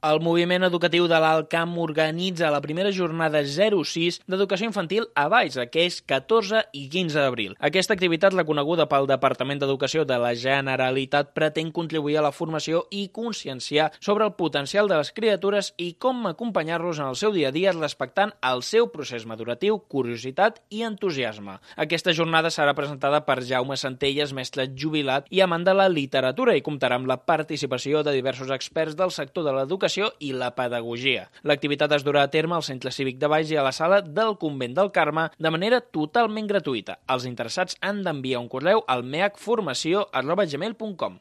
El moviment educatiu de l'Alt Camp organitza la primera jornada 06 d'educació infantil a Valls, aquests 14 i 15 d'abril. Aquesta activitat, reconeguda pel Departament d'Educació de la Generalitat, pretén contribuir a la formació i conscienciar sobre el potencial de les criatures i com acompanyar-los en el seu dia a dia respectant el seu procés maduratiu, curiositat i entusiasme. Aquesta jornada serà presentada per Jaume Centelles, mestre jubilat i amant de la literatura, i comptarà amb la participació de diversos experts del sector de l'educació i la pedagogia. L'activitat es durà a terme al Centre Cívic de Valls i a la sala del Convent del Carme de manera totalment gratuïta. Els interessats han d'enviar un correu al meacformació@gmail.com.